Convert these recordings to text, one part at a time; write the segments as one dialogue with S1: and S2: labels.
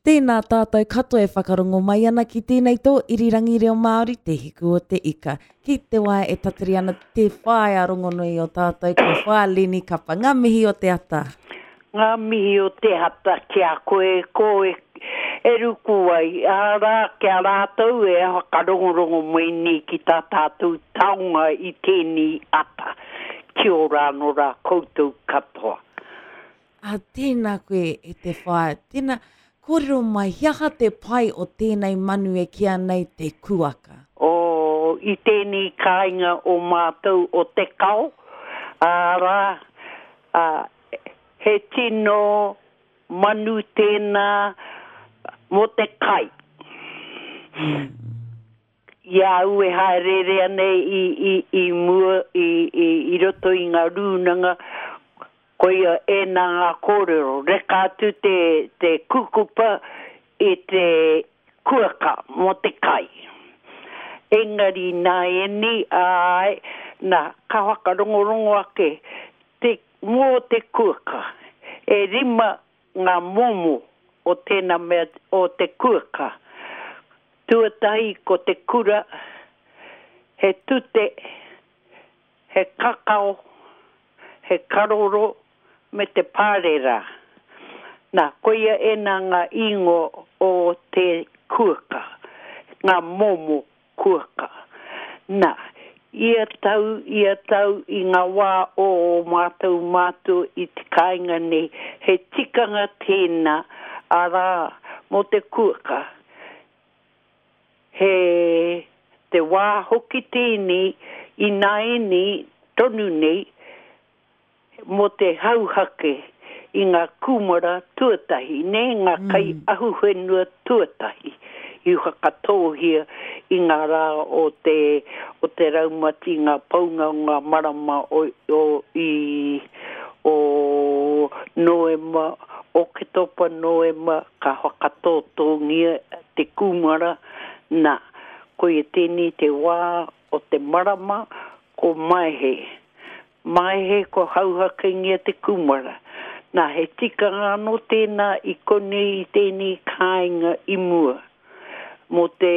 S1: Tēnā tātou katoa e whakarongo mai ana ki tēnei tō irirangi reo Māori, Te Hiku o te Ika. Ki te wā e tatari ana te whaea rongonui o tātou ko Whaea Leni Kapa. Ngā mihi o te ata.
S2: Ngā mihi o te ata ki a koe, ko e, e ruku ai, arā, ki a rātou e whakarongorongo mai nei ki tā tātou taonga i tēnei ata. Kia ora anō rā koutou katoa.
S1: Ā, tēnā koe e te whaea, tēnā, kōrero mai, he aha te pai o tēnei manu e kīa nei te kuaka?
S2: O, i tēnei kāinga o mātou o Te Kao, arā, ā, he tino manu tēnā mō te kai. I a au e haereere ana i, i, i mua, i, i, i roto i ngā rūnanga, koia ēnā ngā kōrero, reka atu te, te kukupa i te kuaka mō te kai. Engari nāianei, āe, nā, ka whakarongorongo ake te, mō te kuaka. E rima ngā momo o tēnā mea, o te kuaka. Tuatahi ko te kura, he tute, he kakao, he karoro me te pārera. Nā, koia ēnā ngā īngoa o te kuaka, ngā momo kuaka. Nā, ia tau, ia tau i ngā wā o ō mātou mātua i te kāinga nei, he tikanga tēnā, arā, mō te kuaka. He te wā hoki tēnei ināianei tonu nei mō te hauhake i ngā kūmara tuatahi, nē, ngā kai ahuwhenua tuatahi i whakatōhia i ngā rā o te, o te raumati, ngā pounga o ngā marama o, o, i, o Noema, Oketopa, Noema, ka whakatōtōngia te kūmara, nā, koia tēnei te wā o te marama ko Maehe. Maehe kua hauhakengia te kūmara. Nā, he tikanga anō tēnā i konei i tēnei kāinga i mua, mō te,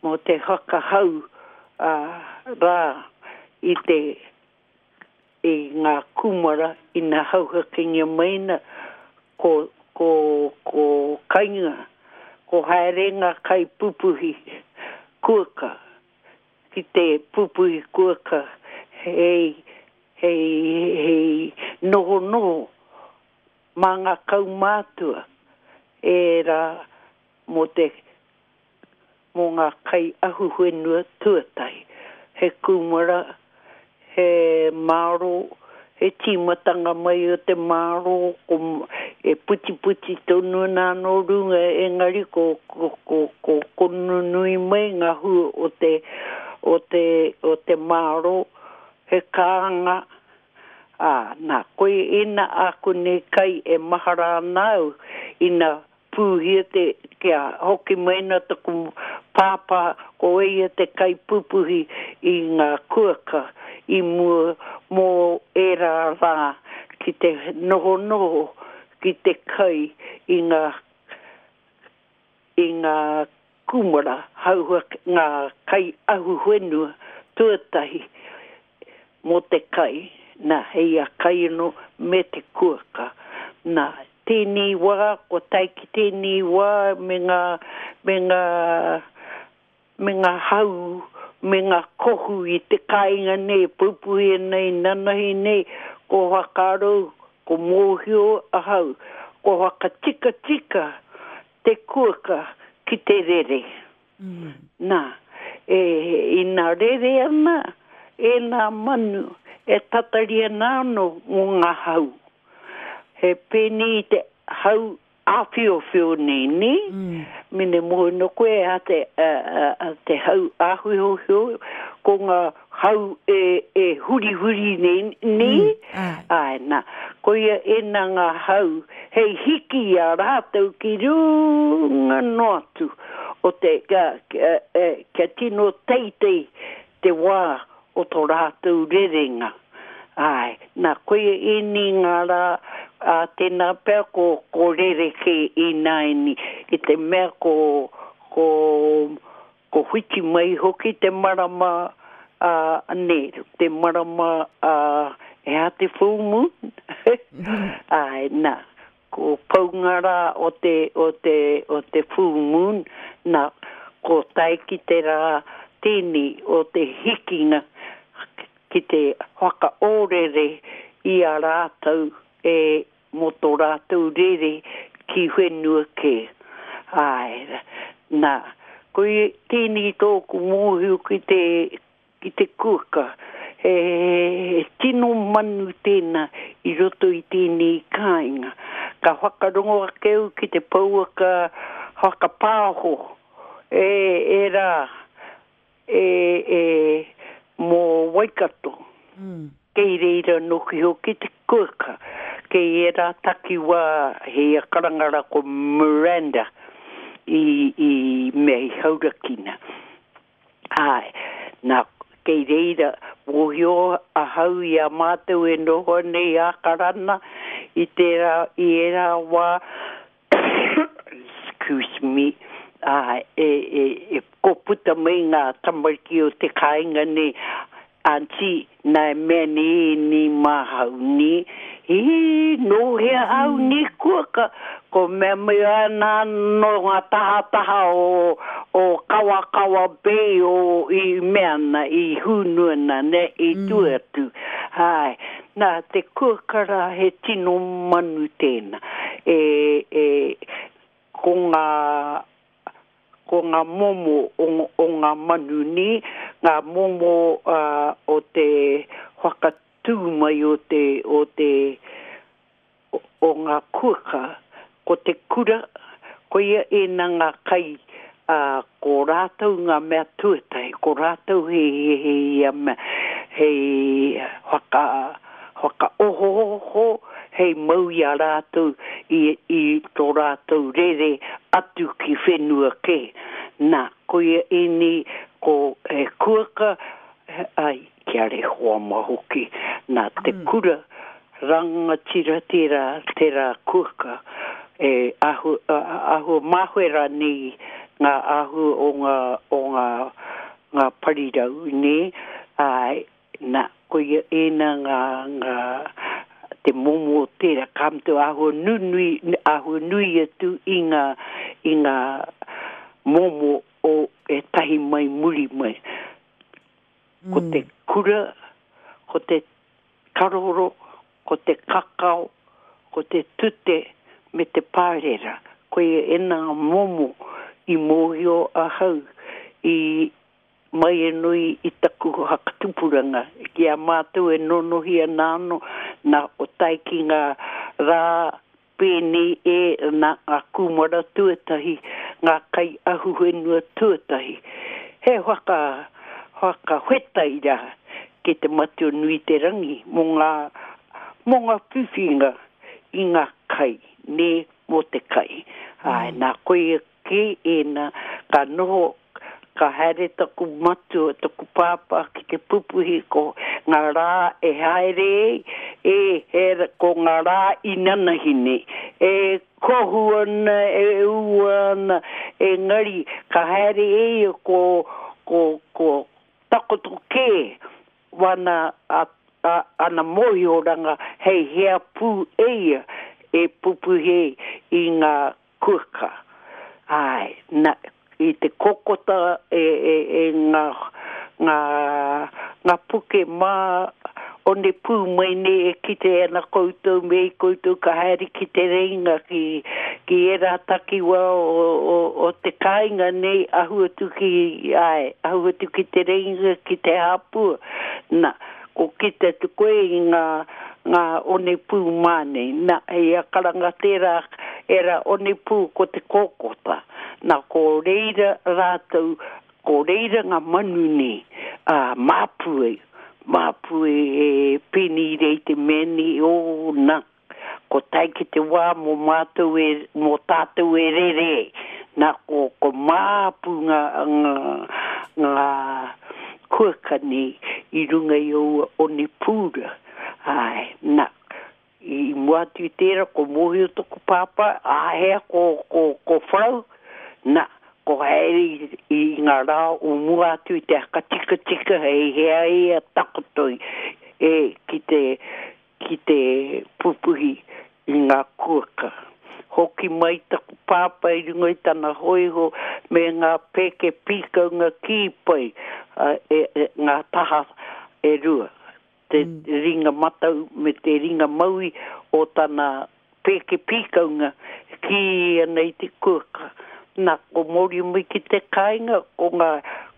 S2: mō te whakahau, ā, rā i te, i ngā kūmara ina hauhakengia mai ana, ko, ko, ko kainga, ko haere ngā kaipupuhi kuaka ki te pupuhi kuaka hei, hei, hei nohonoho mā ngā kaumātua ērā mō te, mō ngā kai ahuwhenua tuatahi. He kūmara, he mārō, he tīmatanga mai o te mārō, ko, e putiputi tonu ana anō runga, engari ko, ko, ko, ko, ko nunui mai ngā hua o te, o te, o te mārō, he kānga, ā, nā, koia ēnā āku nei kai e mahara ana au ina Pūhia te, kia hoki mai ana taku pāpā, ko ia te kaipupuhi i ngā kuaka i mua mō ērā rā ki te nohonoho ki te kai i ngā, i ngā kūmara, hauhua, ngā kai ahuwhenua tuatahi mō te kai, nā, hei a kai anō me te kuaka. Nā, tēnei wā, kua tae ki tēnei wā me ngā, me ngā, me ngā hau, me ngā kohu i te kāinga nei e pupuhi ana i nanahi nei, ko whakaaro, ko mōhio ahau, ko whakatikatika te kuaka ki te rere. Nā, e, ina rere ana ēnā manu, e tatari ana anō mō ngā hau. He pēnei i te hau āwhiowhio nei, nē? Mene mōhio nō koe a te, a, a, a te hau āwhiowhio, ko ngā hau e, e hurihuri nei, nē? Āe, nā, koia ēnā ngā hau hei hiki i a rātou ki runga noa atu o te, kia, kia tino teitei te wā o tō rātou rerenga. Āe, nā, koia ēnei ngā rā, Ā, tēnā pea ko, ko rerekē ināianei, i te mea ko, ko, ko whiti mai hoki te marama, ā, nē, te marama, ā, he aha te full moon? Āe, nā, ko pau ngā rā o te, o te, o te full moon, nā, ko tae ki te rā tēnei o te hikinga ki te whakaōrere i a rātou e mō tō rātou rere ki whenua kē. Āe, nā, koia tēnei tōku mōhio ki te, ki te kuaka. He, he tino manu tēnā i roto i tēnei kāinga. Ka whakarongo ake au ki te pouaka whakapāho e, e rā, e, e, mō Waikato. Mm. Kei reira noki hoki te kuaka. Kei ērā takiwā he ia karanga rā ko Miranda i, i mea i Haurakina. Āe, nā, kei reira mōhio ahau i a mātou e noho ana i Ākarana i tērā, i ērā wā, excuse me, āe, e, e, e, ko puta mai ngā tamariki o te kāinga nei, Aunty, nā e mea nei ēnei māhau, nē? Hī, nō hea au nē kua ka, ko mea mai ana nō ngā tahataha o, o Kawakawa Bay o i mea ana, i hūnu ana, nē, i tua atu. Āe, nā, te kuaka rā he tino manu tēnā. E, e, ko ngā ko ngā momo o ngā manu nē, ngā momo o te whakatū mai o te, o te, o ngā kuaka, ko te kura, koia ēnā ngā kai, ā, ko rātou ngā mea tuatahi, ko rātou he, he, ia mea, hei whaka, whakaohooho hei mau i a rātou i, i tō rātou rere atu ki whenua kē. Nā, koia ēnei ko he kuaka, ai, kia rehoa ma hoki. Nā, te kura rangatira tērā, tērā kuaka, e ahu, āhua māhue rānei ngā āhua o ngā, o ngā, ngā parirau, nē, āe, Na, koia ēnā ngā, ngā, te momo o tērā, ka mutu āhua nunui, āhua nui atu i ngā, i ngā momo o ētahi mai muri mai. Ko te kura, ko te karoro, ko te kakao, ko te tute me te pārera. Koia ēnā ngā momo i mōhio ahau i, Mai anō i taku whakatupuranga, ki a mātou e nonohi ana anō, nā ko tae ki ngā rā pēnei e, nā ngā kūmara tuatahi, ngā kai ahuwhenua tuatahi. He whaka, whakawhetai rā ki te Matua nui te Rangi mō ngā, mō ngā whiwhinga i ngā kai, nē, mō te kai. Āe, nā koia Kē ēnā, ka noho, ka haere taku matua, taku pāpā ki te pupuhi ko ngā rā e haere ei, e, he, ko ngā rā inanahi nei. E kohu ana, e ua ana, engari ka haere e ia ko, ko, ko takoto kē wana a, a, ana mōhioranga hei hea pū e ia e pupuhi ei i ngā Kuka. Āe, na, i te kokota e, e, e ngā, ngā, ngā puke mā onepū mai nei e kite ana koutou me i koutou ka haere ki Te Reinga ki, ki ērā takiwā o, o, o te kāinga nei ahu atu ki, āe, ahu atu ki Te Reinga ki Te Hāpua. Na, ko kite atu koe i ngā, ngā onepū mā nei. Na, hei a karanga tērā, ērā onepū ko te kōkota. Na, ko reira rātou, ko reira ngā manu nei, ā, māpu ai, māpu e, e pēnei rei te mea nei, ō, na, ko tae ki te wā mō mātou e, mō tātou e rere ai. Na, ko, ko māpu ngā, ngā, ngā kuaka nei i runga i aua onepū rā. Āe, na, I mua atu i tērā, ko mōhio toku pāpā, āhea ko, ko, ko wharau, na, ko haere i, i ngā rā o mua atu i te hakatikatika hei hea ia takoto i, e, ki te, ki te pupuhi i ngā kuaka. Hoki mai taku pāpā i runga i tana hōiho me ngā pēke pīkaunga kī pai, e, e, ngā taha e rua, te ringa matau me te ringa maui o tana pēke pīkaunga kī ana i te kuaka. Nā, ko mōrio mai ki te kāinga, ko ngā,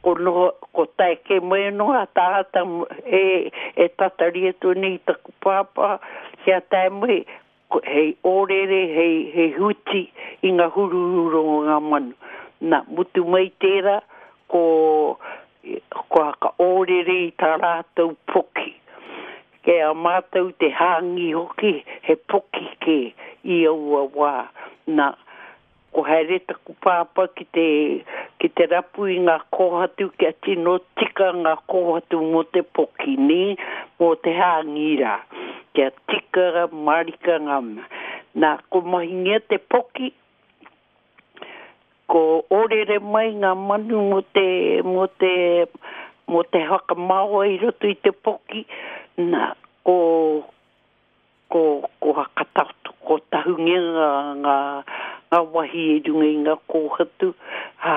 S2: ko noho, ko tae kē mai anō a tāngata e, e tatari atu ana i taku pāpā kia tae mai, ko, hei ōrere, hei, hei huti i ngā huruhuru o ngā manu. Nā, mutu mai tērā, ko, ko hakaōrere i tā rātou poki. Kei a mātou te hāngī hoki, he poki kē i aua wā. Nā, ko haere taku pāpā ki te, ki te rapu i ngā kōhatu kia tino tika ngā kōhatu mō te poki, nē, mō te hāngī rā. Kia tika mārika ngā mea. Nā, ko mahingia te poki, Ko ōrere mai ngā manu mō te, mō te, mō te whakamaoa i roto i te poki, nā, ko, ko, ko hakatakoto, ko tahungia ngā, ngā, ngā wahi i runga i ngā kōhatu, ā,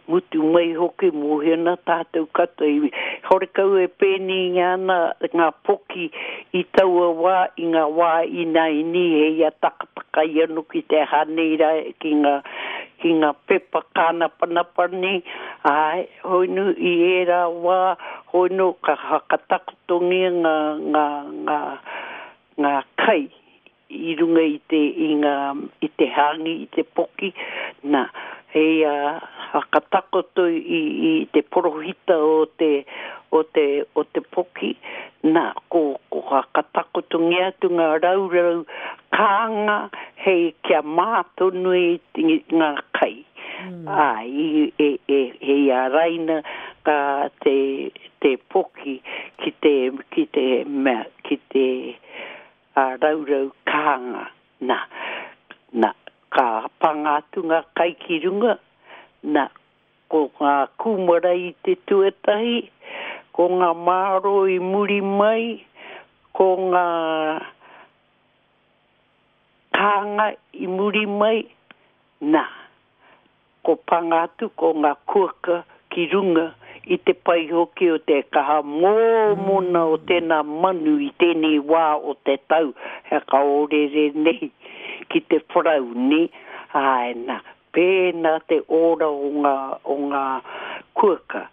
S2: mutu mai hoki, mōhio ana tātou katoa i, horekau e pēneingia ana ngā poki i taua wā, i ngā wā ināianei hei a takataka ia no ki te aha nei rā ki ngā, ki ngā pepa kānapanapa nei, āe, hoi nu i ērā wā, hoi nu ka whakatakotongia ngā, ngā, ngā, ngā kai i runga i te, i ngā, i te hāngi, i te poki, nā, hei a whakatakoto i, i te porohita o te, o te, o te poki, nā, ko, ko whakatakotongia atu ngā raurau kānga hei kia mā tonu i ngā kai. Mm. Ā, i, e, e, hei āraina ka te, te poki ki te, ki te mea, ki te, a raurau kānga, na, na, ka panga atu ngā kai ki runga, na, ko ngā kūmara i te tuatahi, ko ngā māro i muri mai, ko ngā kānga i muri mai, na, Ko panga atu ko nga kuaka ki runga i te pai hoki o te kaha mōmona o tena manu i tenei wā o te tau he kaorere nei ki te wharau ne, ae na, pēnā te ora o nga o nga kuaka.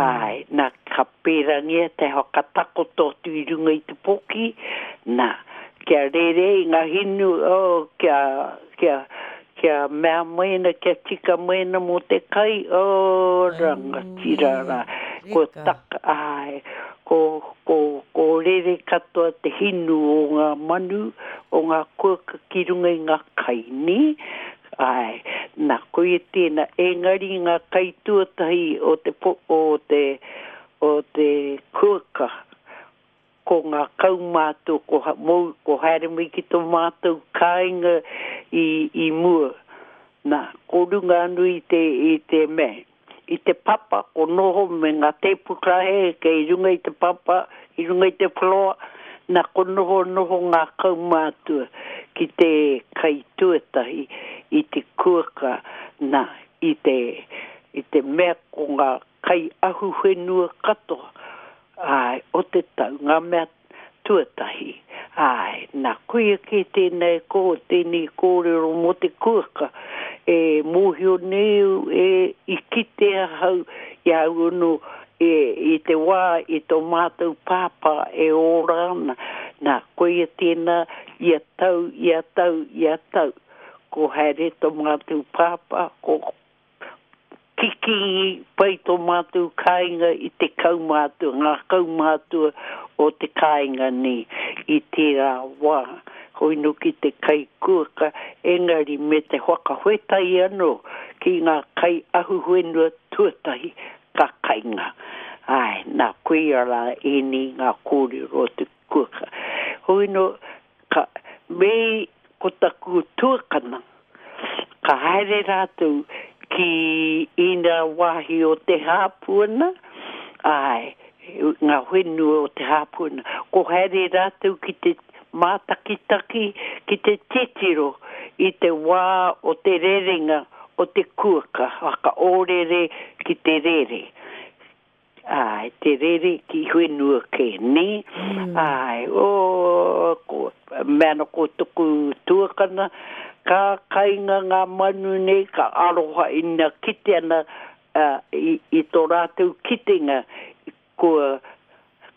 S2: Āe, nā, ka pērangia te whakatakoto atu i runga i te poki, nā, kia rere i ngā hinu, oh, kia, kia, kia mea mai ana, kia tika mai ana mō te kai, oh, rangatira rā. Ko taka, āe, ko, ko, ko rere katoa te hinu o ngā manu, o ngā kuaka ki runga i ngā kai, nē? Āe, nā, koia tēnā, engari ngā kai tuatahi o te po, o te, o te kuaka, ko ngā kaumātua, ko ha, mou, ko haere mai ki tō mātou kāinga i, i mua. Nā, ko runga anō i te, i te mea, i te papa, ko noho me ngā tēpu karaehe kei runga i te papa, i runga i te floor, nā, ko noho noho ngā kaumātua ki te kai tuatahi i te kuaka, nā, i te, i te mea ko ngā kai ahuwhenua katoa, āe, o te tau, ngā mea tuatahi. Āe, nā, koia kē tēnei ko, tēnei kōrero mō te kuaka e mōhio nei au, e, i kite ahau i a au anō e, i te wā i tō mātou pāpā e ora ana. Nā, koia tēnā ia tau, ia tau, ia tau, ko haere tō mātou pāpā, ko Kikī pai tō mātou kāinga i te kaumātua, ngā kaumātua o te kāinga nei i tērā wā. Hoi nō ki te kai kuaka, engari me te whakawhetai anō ki ngā kai ahuwhenua tuatahi ka kainga. Āe, nā koia rā ēnei ngā kōrero o te kuaka. Hoi no, ka, me ko taku tuakana, ka haere rātou ki ina wāhi o te hāpuana, āe, ngā whenua o te hāpuana. Ko haere rātou ki te mātakitaki, ki te titiro i te wā o te rerenga o te kuaka, whakaōrere ki te rere. Āe, te rere ki whenua kē, nē? Āe, oh, ko, mea ana ko toku tuakana, ka kainga ngā manu nei, ka aroha ina kite ana i, i tō rātou kitenga, kua,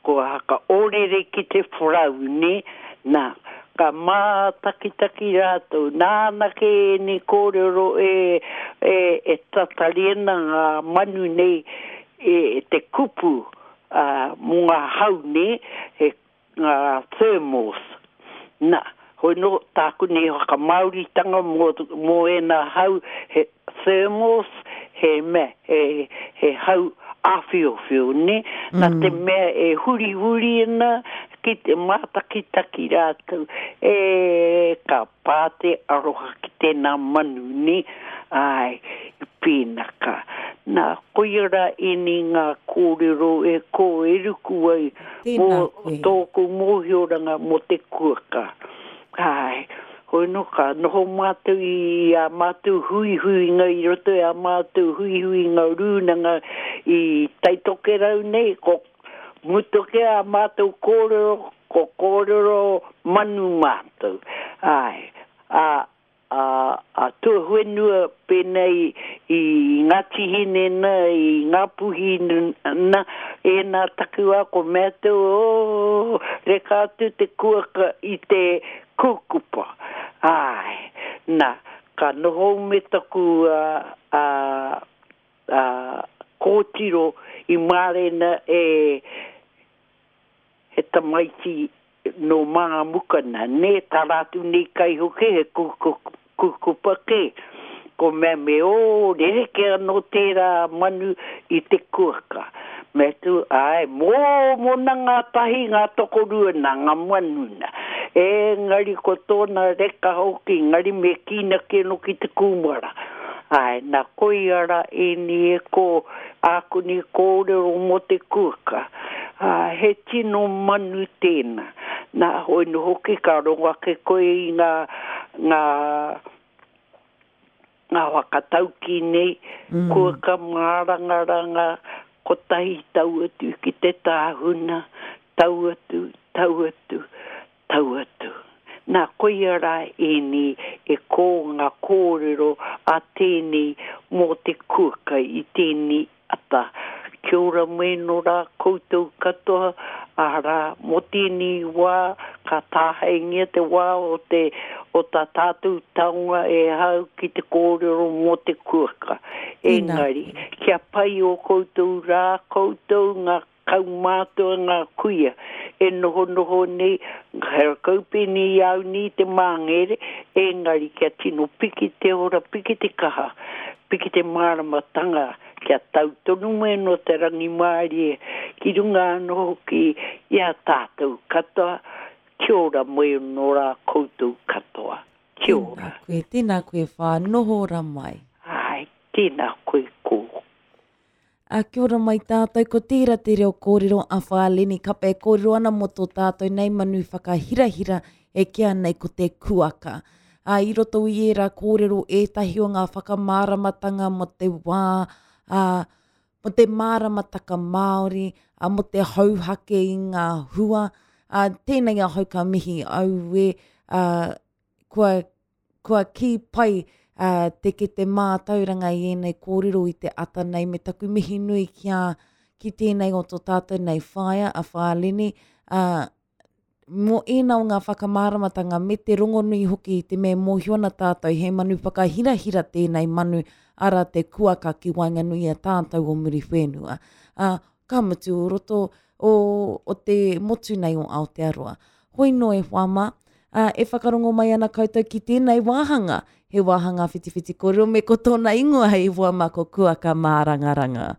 S2: kua hakaorere ki te wharau, nē? Nā, ka mātakitaki rātou, nāna kē ēnei kōrero e, e, e tatari ana ngā manu nei e te kupu ā, mō ngā hau, nē, he ngā thermals. Nā, hoi nō tāku nei whakamāoritanga mō, mō ēnā hau, he thermals, he mea, he, he hau āwhiowhio, nē? Nā te mea e hurihuri ana ki te mātakitaki rātou, e, ka pā te aroha ki tēnā manu, nē? Āe, i pēnaka. Nā, koia rā ēnei ngā kōrero e kō e ruku ai mō tōku mōhioranga mō te kuaka. Āe, hoi nō ka noho mātou i ā mātou huihuinga i roto i ā mātou huihuinga rūnanga i Taitokerau nei, ko mutu kē ā mātou kōrero, ko kōrero manu mātou. Āe, ā, a, a tuawhenua pēnei i Ngāti Hine na, i Ngāpuhi na, ēnā takiwā ko mea atu, oh, reka atu te kuaka i te kūkupa. Āe, nā, ka noho me taku a, a, a, kōtiro i mārena e, he tamaiti nō Mangamukana, nē, tā rātou nei kai hoki he kūkupa kē. Ko mea me ō rerekē anō tērā manu i te kuaka. Mea atu, āe, mōmona ngā tahi, ngā tokorua nā ngā manu nā. Engari ko tōna reka hoki, engari me kīnaki anō ki te kūmara. Āe, nā koia rā ēnei e kō āku nei kōrero mō te kuaka. Ā, he tino manu tēnā. Nā, hoi nō hoki ka rongo ake koe i ngā, ngā, ngā whakataukī nei, kuaka mārangaranga, kotahi tau atu ki te tāhuna, tau atu, tau atu, tau atu. Nā, koia rā ēnei e kō ngā kōrero a tēnei mō te kuaka i tēnei ata. Kia ora mai nō rā koutou katoa, arā, mō tēnei wā ka tāhaengia te wā o te, o tā tātou taonga e hau ki te kōrero mō te kuaka. Engari, kia pai ō koutou rā, koutou ngā Kaumātua ngā kuia e nohonoho nei, he kaupēni i a au nei te māngere, engari kia tino piki te ora, piki te kaha, piki te māramatanga, kia tau tonu mai anō te rangimārie ki runga anō hoki i a tātou katoa, kia ora mai anō rā koutou katoa. Kia ora.
S1: Tēnā koe, tēnā koe whā, noho ora mai.
S2: Āe, tēnā koe kō.
S1: A, kia ora mai tātou, ko tērā te reo kōrero a Whāleni Kapa e kōrero ana mō tō tātou nei manu whakahirahira e kīa nei ko te kuaka. A, i roto i ērā kōrero ētahi o ngā whakamāramatanga mō te wā, a, mō te māramataka Māori, a, mō te hauhake i ngā hua. A, tēnei ahau ka mihi, auē, a, kua Kua kī pai te kete mātauranga i ēnei kōrero i te ata nei me taku mihi nui ki a, ki tēnei o tō tātou nei whaea a Whāleni, ā, mō ēnā o ngā whakamāramatanga me te rongonui hoki i te mea e mōhio ana tātou he manu whakahirahira tēnei manu, arā te kuaka ki waenganui i a tātou o Muriwhenua. Ā, ka mutu o roto o, o te motu nei o Aotearoa. Hoi nō e hoa mā, ā, e whakarongo mai ana koutou ki tēnei wāhanga, he wāhanga whitiwhiti kōrero me ko tōna ingoa hei hoa mā ko Kuaka Mārangaranga.